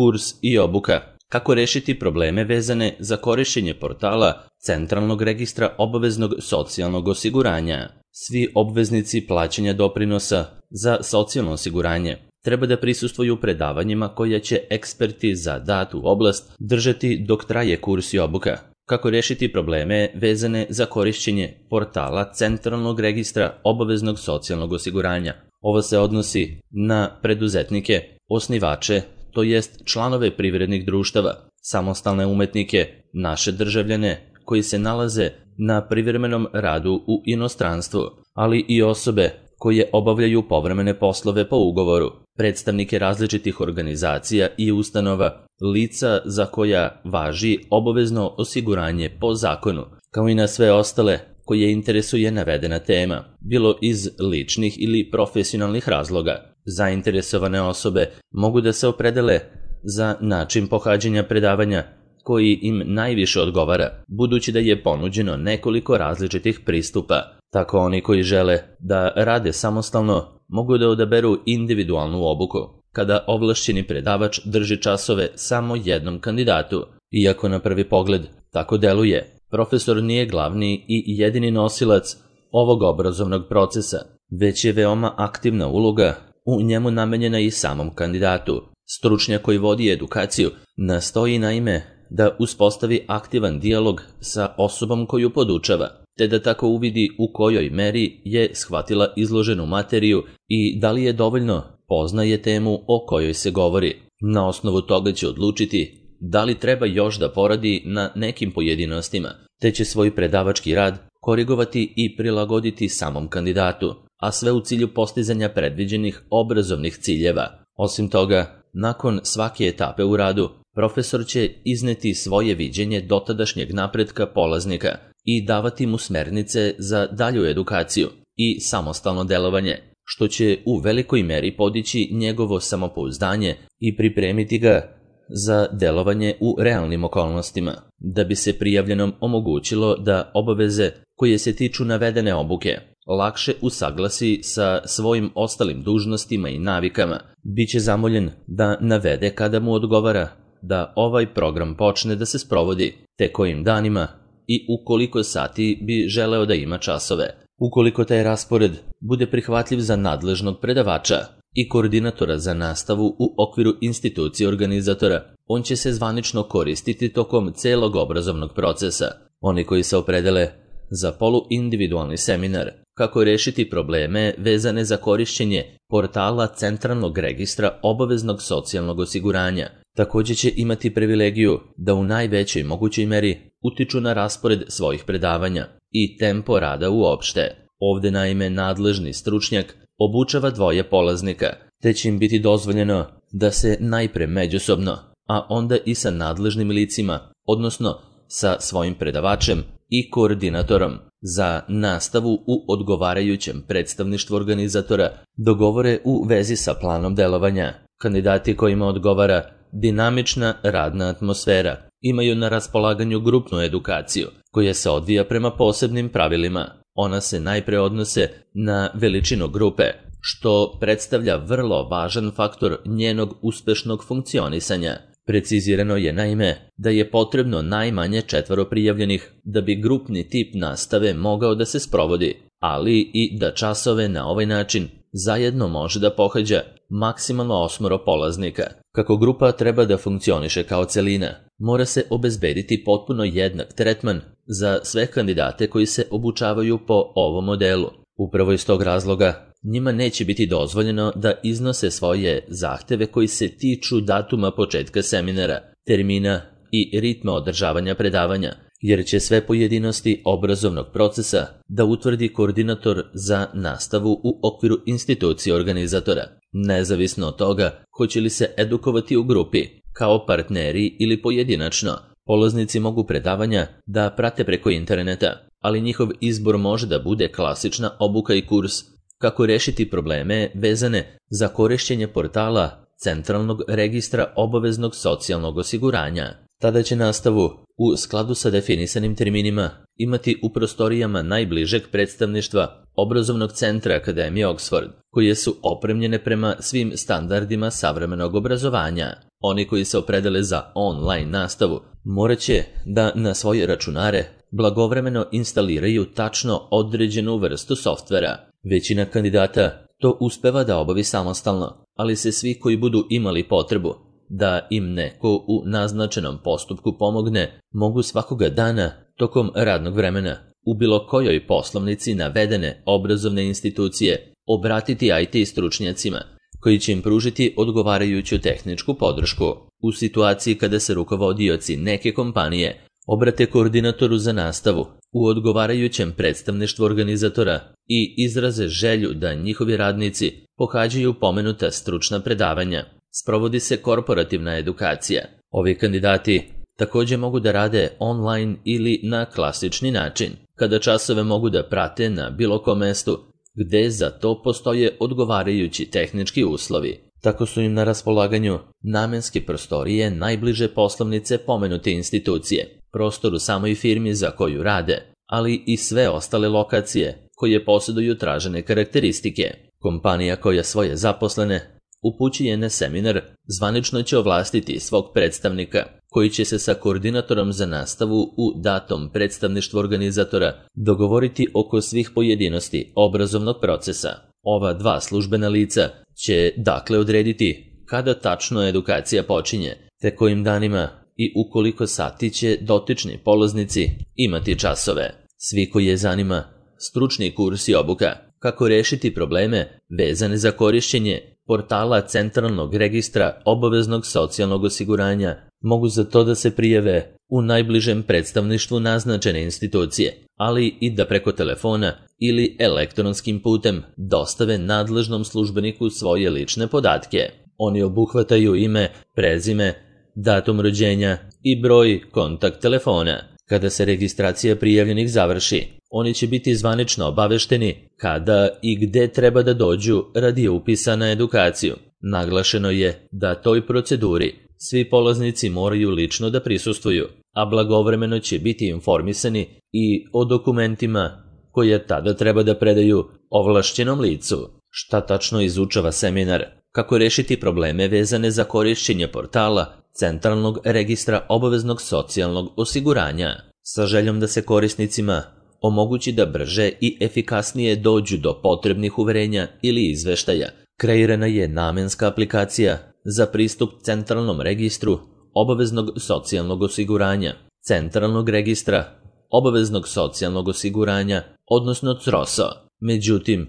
Kurs i obuka. Kako rešiti probleme vezane za korišćenje portala Centralnog registra obaveznog socijalnog osiguranja. Svi obveznici plaćanja doprinosa za socijalno osiguranje treba da prisustvuju predavanjima koja će eksperti za datu oblast držati dok traje kurs i obuka. Kako rešiti probleme vezane za korišćenje portala Centralnog registra obaveznog socijalnog osiguranja. Ovo se odnosi na preduzetnike, osnivače, to jest članove privrednih društava, samostalne umetnike, naše državljane koji se nalaze na privremenom radu u inostranstvu, ali i osobe koje obavljaju povremene poslove po ugovoru, predstavnike različitih organizacija i ustanova, lica za koja važi obavezno osiguranje po zakonu, kao i na sve ostale koje interesuje navedena tema, bilo iz ličnih ili profesionalnih razloga. Zainteresovane osobe mogu da se opredele za način pohađanja predavanja koji im najviše odgovara, budući da je ponuđeno nekoliko različitih pristupa. Tako oni koji žele da rade samostalno mogu da odaberu individualnu obuku, kada ovlašćeni predavač drži časove samo jednom kandidatu. Iako na prvi pogled tako deluje, profesor nije glavni i jedini nosilac ovog obrazovnog procesa, već je veoma aktivna uloga u njemu namenjena i samom kandidatu. Stručnjak koji vodi edukaciju nastoji naime da uspostavi aktivan dijalog sa osobom koju podučava, te da tako uvidi u kojoj meri je shvatila izloženu materiju i da li je dovoljno poznaje temu o kojoj se govori. Na osnovu toga će odlučiti da li treba još da poradi na nekim pojedinostima, te će svoj predavački rad korigovati i prilagoditi samom kandidatu, a sve u cilju postizanja predviđenih obrazovnih ciljeva. Osim toga, nakon svake etape u radu, profesor će izneti svoje viđenje dotadašnjeg napretka polaznika i davati mu smernice za dalju edukaciju i samostalno delovanje, što će u velikoj meri podići njegovo samopouzdanje i pripremiti ga za delovanje u realnim okolnostima, da bi se prijavljenom omogućilo da obaveze koje se tiču navedene obuke lakše usaglasi sa svojim ostalim dužnostima i navikama. Biće zamoljen da navede kada mu odgovara da ovaj program počne da se sprovodi, te kojim danima i u koliko sati bi želeo da ima časove. Ukoliko taj raspored bude prihvatljiv za nadležnog predavača i koordinatora za nastavu u okviru institucije organizatora, on će se zvanično koristiti tokom celog obrazovnog procesa. Oni koji se opredele za poluindividualni seminar kako rešiti probleme vezane za korišćenje portala Centralnog registra obaveznog socijalnog osiguranja, također će imati privilegiju da u najvećoj mogućoj meri utiču na raspored svojih predavanja i tempo rada uopšte. Ovde naime nadležni stručnjak obučava dvoje polaznika, te će im biti dozvoljeno da se najpre međusobno, a onda i sa nadležnim licima, odnosno sa svojim predavačem i koordinatorom za nastavu u odgovarajućem predstavništvu organizatora dogovore u vezi sa planom delovanja. Kandidati kojima odgovara dinamična radna atmosfera imaju na raspolaganju grupnu edukaciju koja se odvija prema posebnim pravilima. Ona se najpre odnose na veličinu grupe, što predstavlja vrlo važan faktor njenog uspešnog funkcionisanja. Precizirano je naime da je potrebno najmanje 4 prijavljenih da bi grupni tip nastave mogao da se sprovodi, ali i da časove na ovaj način zajedno može da pohađa maksimalno 8 polaznika. Kako grupa treba da funkcioniše kao celina, mora se obezbediti potpuno jednak tretman za sve kandidate koji se obučavaju po ovom modelu. Upravo iz tog razloga njima neće biti dozvoljeno da iznose svoje zahteve koji se tiču datuma početka seminara, termina i ritma održavanja predavanja, jer će sve pojedinosti obrazovnog procesa da utvrdi koordinator za nastavu u okviru institucije organizatora. Nezavisno od toga hoće li se edukovati u grupi, kao partneri ili pojedinačno, polaznici mogu predavanja da prate preko interneta, ali njihov izbor može da bude klasična obuka i kurs kako rešiti probleme vezane za korišćenje portala Centralnog registra obaveznog socijalnog osiguranja. Tada će nastavu, u skladu sa definisanim terminima, imati u prostorijama najbližeg predstavništva obrazovnog centra Akademije Oxford, koje su opremljene prema svim standardima savremenog obrazovanja. Oni koji se opredele za online nastavu morat će da na svoje računare blagovremeno instaliraju tačno određenu vrstu softvera. Većina kandidata to uspeva da obavi samostalno, ali se svi koji budu imali potrebu da im neko u naznačenom postupku pomogne, mogu svakoga dana tokom radnog vremena u bilo kojoj poslovnici navedene obrazovne institucije obratiti IT stručnjacima koji će im pružiti odgovarajuću tehničku podršku. U situaciji kada se rukovodioci neke kompanije obrate koordinatoru za nastavu u odgovarajućem predstavništvu organizatora i izraze želju da njihovi radnici pohađaju pomenuta stručna predavanja, sprovodi se korporativna edukacija. Ovi kandidati također mogu da rade online ili na klasični način, kada časove mogu da prate na bilo kom mestu gde za to postoje odgovarajući tehnički uslovi. Tako su im na raspolaganju namenske prostorije najbliže poslovnice pomenute institucije, prostor u samoj firmi za koju rade, ali i sve ostale lokacije koje posjeduju tražene karakteristike. Kompanija koja svoje zaposlene upućuje na seminar zvanično će ovlastiti svog predstavnika koji će se sa koordinatorom za nastavu u datom predstavništvu organizatora dogovoriti oko svih pojedinosti obrazovnog procesa. Ova dva službena lica će dakle odrediti kada tačno edukacija počinje, te kojim danima i u koliko sati će dotični polaznici imati časove. Svi koji je zanima stručni kurs i obuka kako rešiti probleme vezane za korišćenje portala Centralnog registra obaveznog socijalnog osiguranja mogu za to da se prijave u najbližem predstavništvu naznačene institucije, ali i da preko telefona ili elektronskim putem dostave nadležnom službeniku svoje lične podatke. Oni obuhvataju ime, prezime, datum rođenja i broj kontakt telefona. Kada se registracija prijavljenih završi, oni će biti zvanično obavešteni kada i gde treba da dođu radi upisa na edukaciju. Naglašeno je da toj proceduri svi polaznici moraju lično da prisustvuju, a blagovremeno će biti informisani i o dokumentima koje tada treba da predaju ovlašćenom licu. Šta tačno izučava seminar? Kako rešiti probleme vezane za korišćenje portala Centralnog registra obaveznog socijalnog osiguranja, sa željom da se korisnicima omogući da brže i efikasnije dođu do potrebnih uverenja ili izveštaja. Kreirana je namenska aplikacija za pristup Centralnom registru obaveznog socijalnog osiguranja, Centralnog registra obaveznog socijalnog osiguranja, odnosno CROSO. Međutim,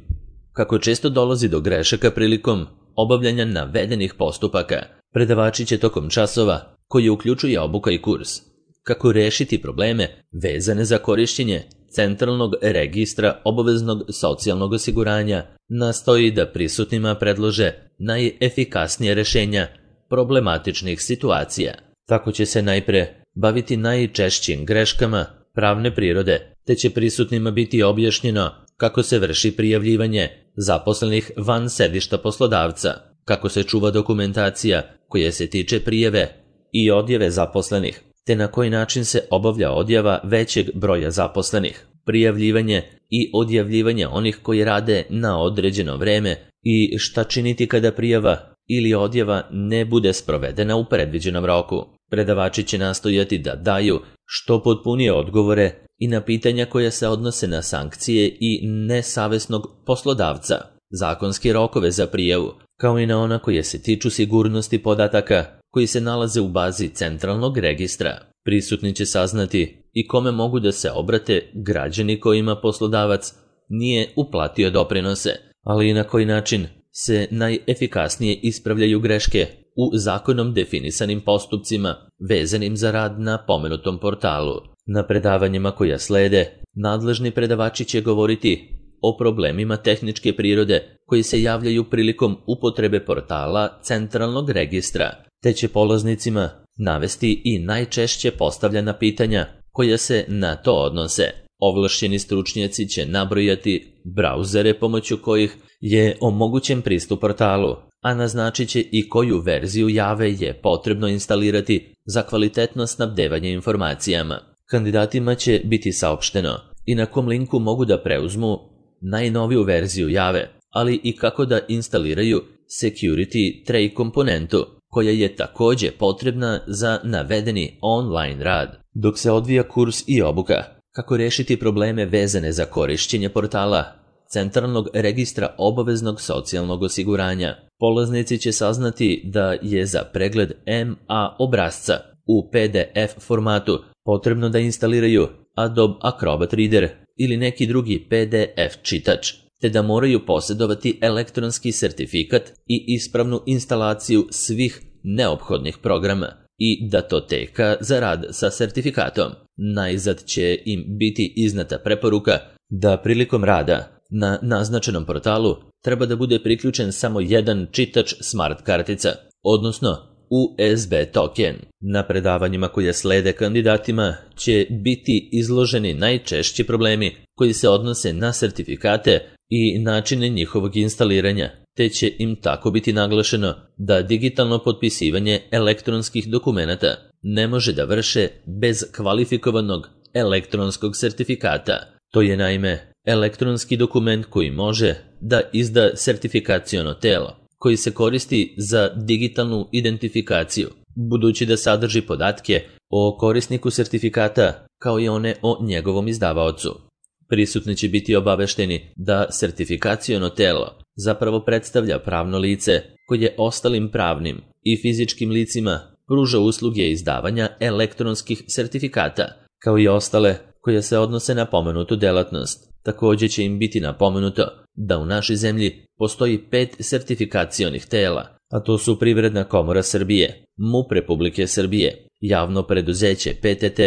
kako često dolazi do grešaka prilikom obavljanja navedenih postupaka, predavači će tokom časova, koji uključuje obuka i kurs, kako rešiti probleme vezane za korišćenje Centralnog registra obaveznog socijalnog osiguranja, nastoji da prisutnima predlože najefikasnije rešenja problematičnih situacija. Tako će se najpre baviti najčešćim greškama pravne prirode, te će prisutnima biti objašnjeno kako se vrši prijavljivanje zaposlenih van sedišta poslodavca, kako se čuva dokumentacija koja se tiče prijave i odjave zaposlenih, te na koji način se obavlja odjava većeg broja zaposlenih, prijavljivanje i odjavljivanje onih koji rade na određeno vreme i šta činiti kada prijava ili odjava ne bude sprovedena u predviđenom roku. Predavači će nastojati da daju što potpunije odgovore i na pitanja koja se odnose na sankcije i nesavesnog poslodavca, zakonske rokove za prijavu, kao i na ona koje se tiču sigurnosti podataka koji se nalaze u bazi Centralnog registra. Prisutni će saznati i kome mogu da se obrate građani kojima poslodavac nije uplatio doprinose, ali i na koji način se najefikasnije ispravljaju greške u zakonom definisanim postupcima vezanim za rad na pomenutom portalu. Na predavanjima koja slede, nadležni predavači će govoriti o problemima tehničke prirode koji se javljaju prilikom upotrebe portala Centralnog registra, te će polaznicima navesti i najčešće postavljena pitanja koja se na to odnose. Ovlašćeni stručnjaci će nabrojati brauzere pomoću kojih je omogućen pristup portalu, a naznačit će i koju verziju Jave je potrebno instalirati za kvalitetno snabdevanje informacijama. Kandidatima će biti saopšteno i na kom linku mogu da preuzmu najnoviju verziju Jave, ali i kako da instaliraju Security Tray komponentu koja je također potrebna za navedeni online rad. Dok se odvija kurs i obuka kako rešiti probleme vezane za korišćenje portala Centralnog registra obaveznog socijalnog osiguranja, polaznici će saznati da je za pregled MA obrasca u PDF formatu potrebno da instaliraju Adobe Acrobat Reader ili neki drugi PDF čitač, te da moraju posjedovati elektronski sertifikat i ispravnu instalaciju svih neophodnih programa i datoteka za rad sa sertifikatom. Najzad će im biti iznata preporuka da prilikom rada na naznačenom portalu treba da bude priključen samo jedan čitač smart kartica, odnosno USB token. Na predavanjima koje slede kandidatima će biti izloženi najčešći problemi koji se odnose na sertifikate i načine njihovog instaliranja, te će im tako biti naglašeno da digitalno potpisivanje elektronskih dokumenata ne može da vrše bez kvalifikovanog elektronskog sertifikata. To je naime elektronski dokument koji može da izda sertifikaciono telo, koji se koristi za digitalnu identifikaciju, budući da sadrži podatke o korisniku sertifikata kao i one o njegovom izdavaocu. Prisutni će biti obavešteni da sertifikaciono telo zapravo predstavlja pravno lice koje ostalim pravnim i fizičkim licima pruža usluge izdavanja elektronskih sertifikata, kao i ostale koje se odnose na pomenutu delatnost. Također će im biti napomenuto da u našoj zemlji postoji 5 sertifikacionih tela, a to su Privredna komora Srbije, MUP Republike Srbije, Javno preduzeće PTT,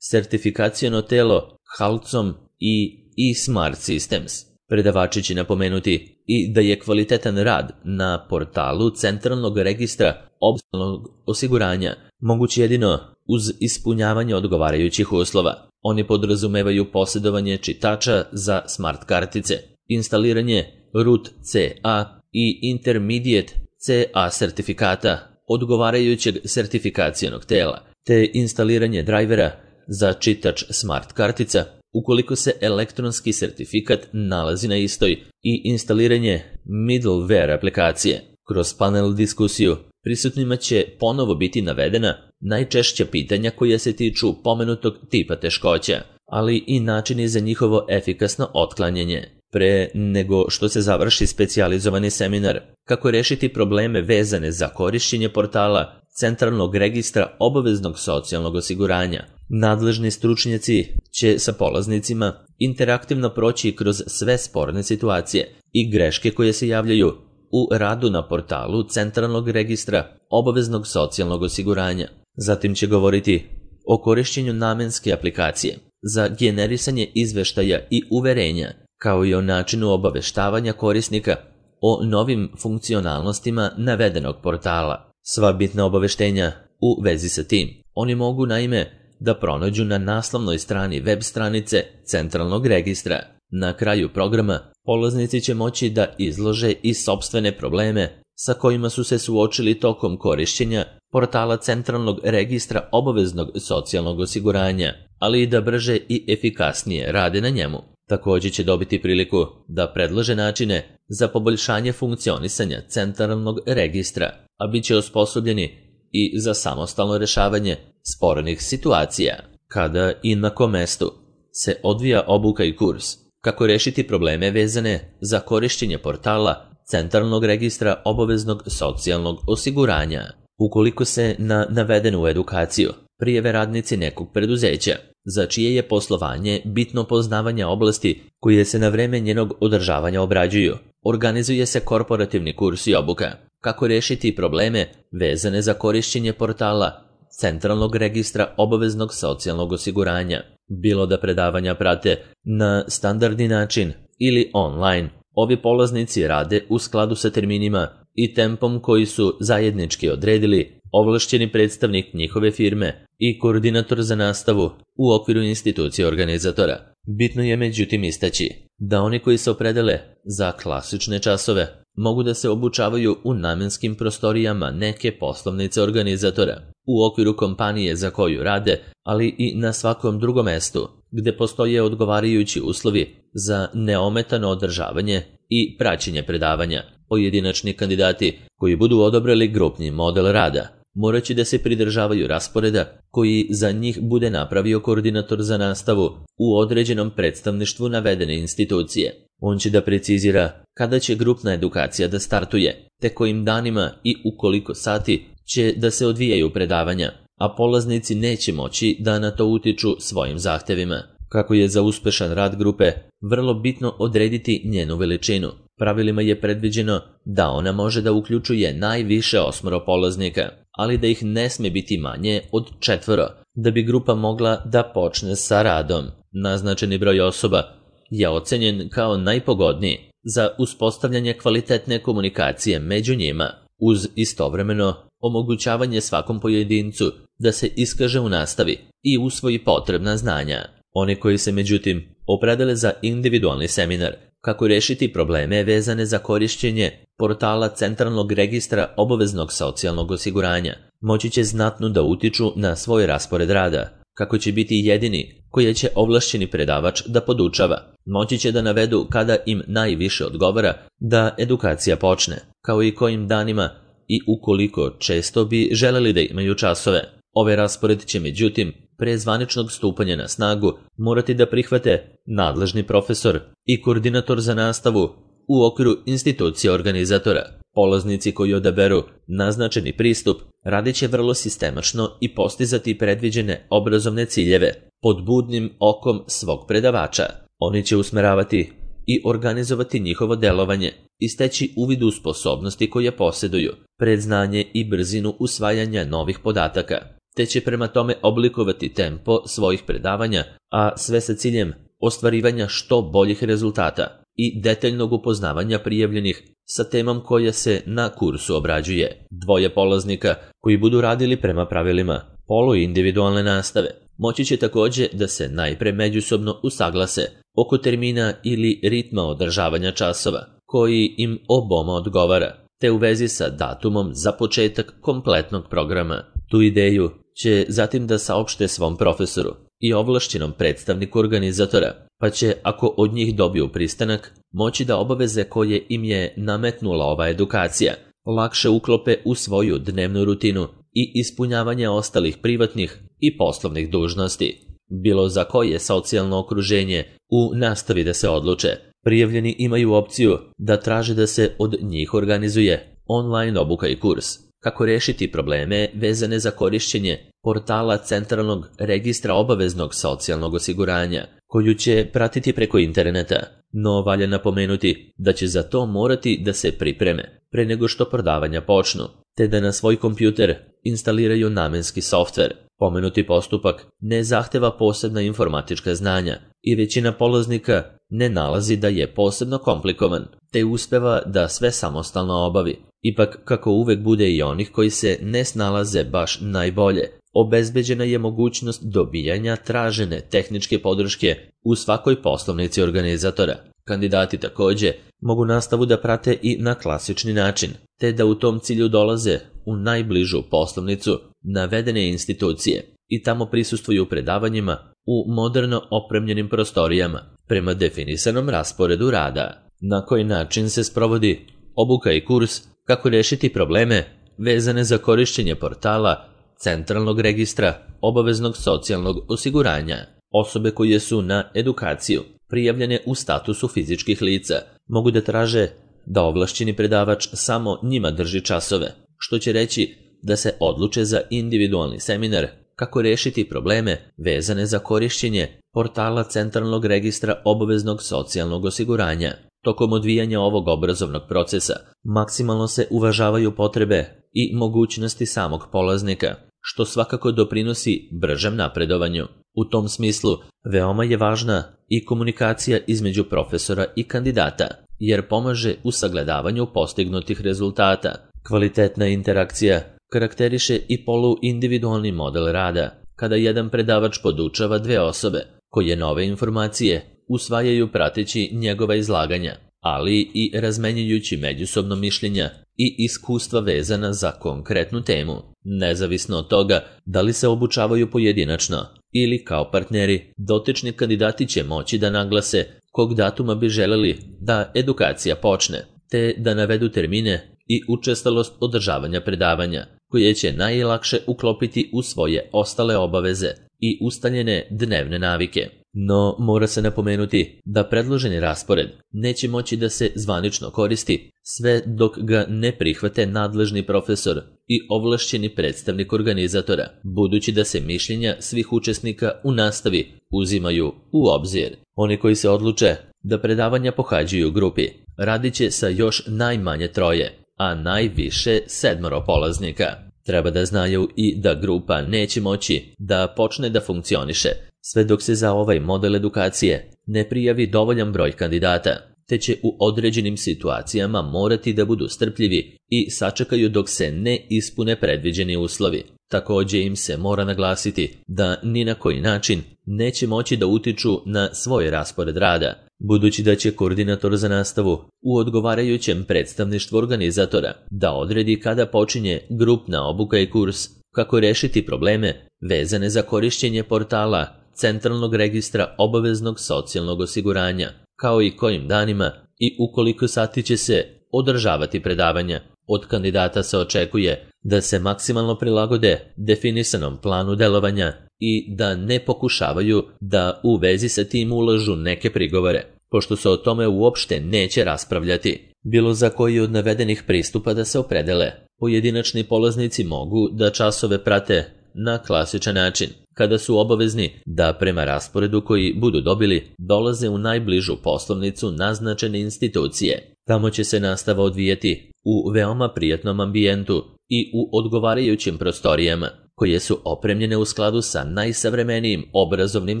sertifikaciono telo HALCOM i eSmart Systems. Predavači će napomenuti i da je kvalitetan rad na portalu Centralnog registra obaveznog osiguranja moguć jedino uz ispunjavanje odgovarajućih uslova. Oni podrazumevaju posjedovanje čitača za smart kartice, instaliranje root CA i intermediate CA sertifikata odgovarajućeg sertifikacionog tela, te instaliranje drajvera za čitač smart kartica ukoliko se elektronski sertifikat nalazi na istoj i instaliranje middleware aplikacije. Kroz panel diskusiju prisutnima će ponovo biti navedena najčešća pitanja koja se tiču pomenutog tipa teškoća, ali i načini za njihovo efikasno otklanjanje. Pre nego što se završi specijalizovani seminar kako rešiti probleme vezane za korišćenje portala Centralnog registra obaveznog socijalnog osiguranja, nadležni stručnjaci će sa polaznicima interaktivno proći kroz sve sporne situacije i greške koje se javljaju u radu na portalu Centralnog registra obaveznog socijalnog osiguranja. Zatim će govoriti o korišćenju namenske aplikacije za generisanje izveštaja i uverenja, kao i o načinu obaveštavanja korisnika o novim funkcionalnostima navedenog portala. Sva bitna obaveštenja u vezi sa tim oni mogu naime da pronađu na naslovnoj strani web stranice Centralnog registra. Na kraju programa polaznici će moći da izlože i sopstvene probleme sa kojima su se suočili tokom korišćenja portala Centralnog registra obaveznog socijalnog osiguranja, ali i da brže i efikasnije rade na njemu. Također će dobiti priliku da predlože načine za poboljšanje funkcionisanja Centralnog registra, a bit će osposobljeni i za samostalno rešavanje spornih situacija. Kada i na kom mestu se odvija obuka i kurs, kako rešiti probleme vezane za korišćenje portala Centralnog registra obaveznog socijalnog osiguranja. Ukoliko se na navedenu edukaciju prijave radnici nekog preduzeća, za čije je poslovanje bitno poznavanje oblasti koje se na vreme njenog održavanja obrađuju, organizuje se korporativni kurs i obuka. Kako rešiti probleme vezane za korišćenje portala Centralnog registra obaveznog socijalnog osiguranja, bilo da predavanja prate na standardni način ili online. Ovi polaznici rade u skladu sa terminima i tempom koji su zajednički odredili ovlašćeni predstavnik njihove firme i koordinator za nastavu u okviru institucije organizatora. Bitno je međutim istaći da oni koji se opredele za klasične časove mogu da se obučavaju u namenskim prostorijama neke poslovnice organizatora, u okviru kompanije za koju rade, ali i na svakom drugom mestu gde postoje odgovarajući uslovi za neometano održavanje i praćenje predavanja. Pojedinačni kandidati koji budu odabrali grupni model rada morat će da se pridržavaju rasporeda koji za njih bude napravio koordinator za nastavu u određenom predstavništvu navedene institucije. On će da precizira kada će grupna edukacija da startuje, te kojim danima i u koliko sati će da se odvijaju predavanja, a polaznici neće moći da na to utiču svojim zahtevima. Kako je za uspešan rad grupe vrlo bitno odrediti njenu veličinu. Pravilima je predviđeno da ona može da uključuje najviše 8 polaznika, ali da ih ne sme biti manje od 4, da bi grupa mogla da počne sa radom. Naznačeni broj osoba je ocenjen kao najpogodniji za uspostavljanje kvalitetne komunikacije među njima, uz istovremeno omogućavanje svakom pojedincu da se iskaže u nastavi i usvoji potrebna znanja. Oni koji se međutim opredele za individualni seminar kako rešiti probleme vezane za korišćenje portala Centralnog registra obaveznog socijalnog osiguranja, moći će znatno da utiču na svoj raspored rada, kako će biti jedini koji će ovlašćeni predavač da podučava. Moći će da navedu kada im najviše odgovara da edukacija počne, kao i kojim danima i ukoliko često bi želeli da imaju časove. Ovaj raspored će međutim pre zvaničnog stupanja na snagu morati da prihvate nadležni profesor i koordinator za nastavu u okviru institucije organizatora. Polaznici koji odaberu naznačeni pristup radit će vrlo sistemačno i postizati predviđene obrazovne ciljeve pod budnim okom svog predavača. Oni će usmeravati i organizovati njihovo delovanje i steći uvid u sposobnosti koje posjeduju, predznanje i brzinu usvajanja novih podataka, te će prema tome oblikovati tempo svojih predavanja, a sve sa ciljem ostvarivanja što boljih rezultata i detaljnog upoznavanja prijavljenih sa temom koja se na kursu obrađuje. 2 polaznika koji budu radili prema pravilima poluindividualne nastave moći će takođe da se najpre međusobno usaglase oko termina ili ritma održavanja časova koji im oboma odgovara, te u vezi sa datumom za početak kompletnog programa. Tu ideju će zatim da saopšte svom profesoru i ovlašćenom predstavniku organizatora, pa će, ako od njih dobiju pristanak, moći da obaveze koje im je nametnula ova edukacija lakše uklope u svoju dnevnu rutinu i ispunjavanje ostalih privatnih i poslovnih dužnosti. Bilo za koje socijalno okruženje u nastavi da se odluče, prijavljeni imaju opciju da traže da se od njih organizuje online obuka i kurs. Kako rešiti probleme vezane za korišćenje portala Centralnog registra obaveznog socijalnog osiguranja, koju će pratiti preko interneta, no valja napomenuti da će za to morati da se pripreme pre nego što predavanja počnu, te da na svoj kompjuter instaliraju namenski softver. Pomenuti postupak ne zahteva posebna informatička znanja i većina polaznika ne nalazi da je posebno komplikovan, te uspeva da sve samostalno obavi. Ipak, kako uvek bude i onih koji se ne snalaze baš najbolje, obezbeđena je mogućnost dobijanja tražene tehničke podrške u svakoj poslovnici organizatora. Kandidati takođe mogu nastavu da prate i na klasični način, te da u tom cilju dolaze u najbližu poslovnicu navedene institucije i tamo prisustvuju predavanjima u moderno opremljenim prostorijama prema definisanom rasporedu rada. Na koji način se sprovodi obuka i kurs kako rešiti probleme vezane za korišćenje portala Centralnog registra obaveznog socijalnog osiguranja. Osobe koje su na edukaciju prijavljene u statusu fizičkih lica mogu da traže da ovlašćeni predavač samo njima drži časove, što će reći da se odluče za individualni seminar kako rešiti probleme vezane za korišćenje portala Centralnog registra obaveznog socijalnog osiguranja. Tokom odvijanja ovog obrazovnog procesa maksimalno se uvažavaju potrebe i mogućnosti samog polaznika, što svakako doprinosi bržem napredovanju. U tom smislu veoma je važna i komunikacija između profesora i kandidata, jer pomaže u sagledavanju postignutih rezultata. Kvalitetna interakcija karakteriše i poluindividualni model rada, kada jedan predavač podučava 2 osobe koje nove informacije usvajaju prateći njegova izlaganja, ali i razmenjujući međusobno mišljenja i iskustva vezana za konkretnu temu, nezavisno od toga da li se obučavaju pojedinačno ili kao partneri, dotični kandidati će moći da naglase kog datuma bi želeli da edukacija počne, te da navedu termine i učestalost održavanja predavanja, koje će najlakše uklopiti u svoje ostale obaveze i ustaljene dnevne navike. No, mora se napomenuti da predloženi raspored neće moći da se zvanično koristi sve dok ga ne prihvate nadležni profesor i ovlašćeni predstavnik organizatora, budući da se mišljenja svih učesnika u nastavi uzimaju u obzir. Oni koji se odluče da predavanja pohađaju u grupi radit će sa još najmanje 3, a najviše 7 polaznika. Treba da znaju i da grupa neće moći da počne da funkcioniše sve dok se za ovaj model edukacije ne prijavi dovoljan broj kandidata, te će u određenim situacijama morati da budu strpljivi i sačekaju dok se ne ispune predviđeni uslovi. Također im se mora naglasiti da ni na koji način neće moći da utiču na svoj raspored rada, budući da će koordinator za nastavu u odgovarajućem predstavništvu organizatora da odredi kada počinje grupna obuka i kurs kako rešiti probleme vezane za korišćenje portala Centralnog registra obaveznog socijalnog osiguranja, kao i kojim danima i u koliko sati će se održavati predavanja. Od kandidata se očekuje da se maksimalno prilagode definisanom planu delovanja i da ne pokušavaju da u vezi sa tim ulažu neke prigovore, pošto se o tome uopšte neće raspravljati. Bilo za koji od navedenih pristupa da se opredele, pojedinačni polaznici mogu da časove prate na klasičan način, kada su obavezni da prema rasporedu koji budu dobili dolaze u najbližu poslovnicu naznačene institucije. Tamo će se nastava odvijati u veoma prijatnom ambijentu i u odgovarajućim prostorijama, koje su opremljene u skladu sa najsavremenijim obrazovnim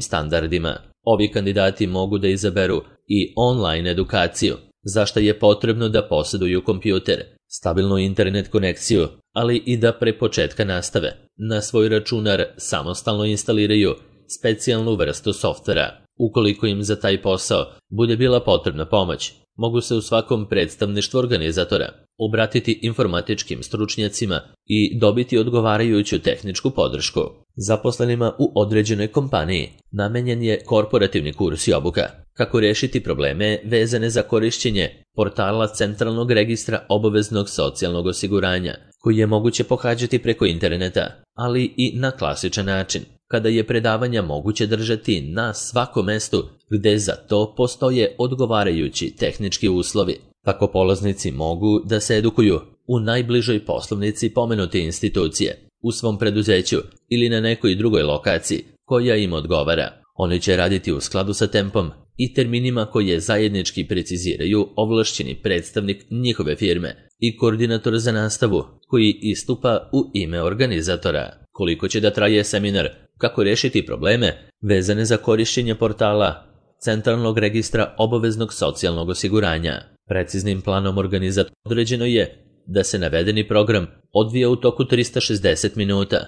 standardima. Ovi kandidati mogu da izaberu i online edukaciju, za što je potrebno da posjeduju kompjuter, stabilnu internet konekciju, ali i da pre početka nastave na svoj računar samostalno instaliraju specijalnu vrstu softvera. Ukoliko im za taj posao bude bila potrebna pomoć, mogu se u svakom predstavništvu organizatora obratiti informatičkim stručnjacima i dobiti odgovarajuću tehničku podršku. Zaposlenima u određenoj kompaniji namenjen je korporativni kurs i obuka kako rešiti probleme vezane za korišćenje portala Centralnog registra obaveznog socijalnog osiguranja, koji je moguće pohađati preko interneta, ali i na klasičan način, kada je predavanja moguće držati na svakom mestu gde za to postoje odgovarajući tehnički uslovi. Tako polaznici mogu da se edukuju u najbližoj poslovnici pomenute institucije, u svom preduzeću ili na nekoj drugoj lokaciji koja im odgovara. Oni će raditi u skladu sa tempom i terminima koje zajednički preciziraju ovlašćeni predstavnik njihove firme i koordinator za nastavu koji istupa u ime organizatora. Koliko će da traje seminar kako rešiti probleme vezane za korišćenje portala Centralnog registra obaveznog socijalnog osiguranja. Preciznim planom organizatora određeno je da se navedeni program odvija u toku 360 minuta,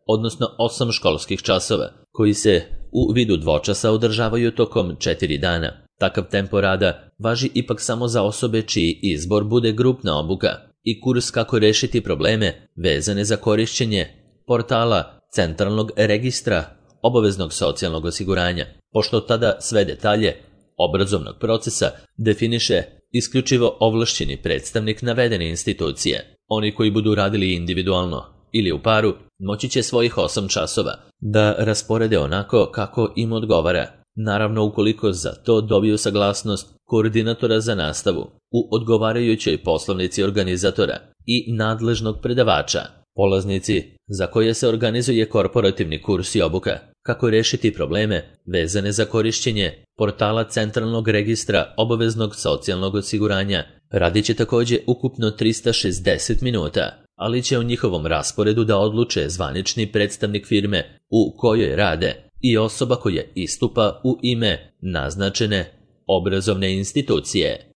odnosno 8 školskih časova, koji se u vidu dvočasa održavaju tokom 4 dana. Takav tempo rada važi ipak samo za osobe čiji izbor bude grupna obuka i kurs kako rešiti probleme vezane za korišćenje portala Centralnog registra obaveznog socijalnog osiguranja, pošto tada sve detalje obrazovnog procesa definiše isključivo ovlašćeni predstavnik navedene institucije. Oni koji budu radili individualno ili u paru moći će svojih 8 časova da rasporede onako kako im odgovara, naravno ukoliko za to dobiju saglasnost koordinatora za nastavu u odgovarajućoj poslovnici organizatora i nadležnog predavača. Polaznici za koje se organizuje korporativni kurs i obuka kako rešiti probleme vezane za korišćenje portala Centralnog registra obaveznog socijalnog osiguranja radit će također ukupno 360 minuta, ali će u njihovom rasporedu da odluče zvanični predstavnik firme u kojoj rade i osoba koja istupa u ime naznačene obrazovne institucije.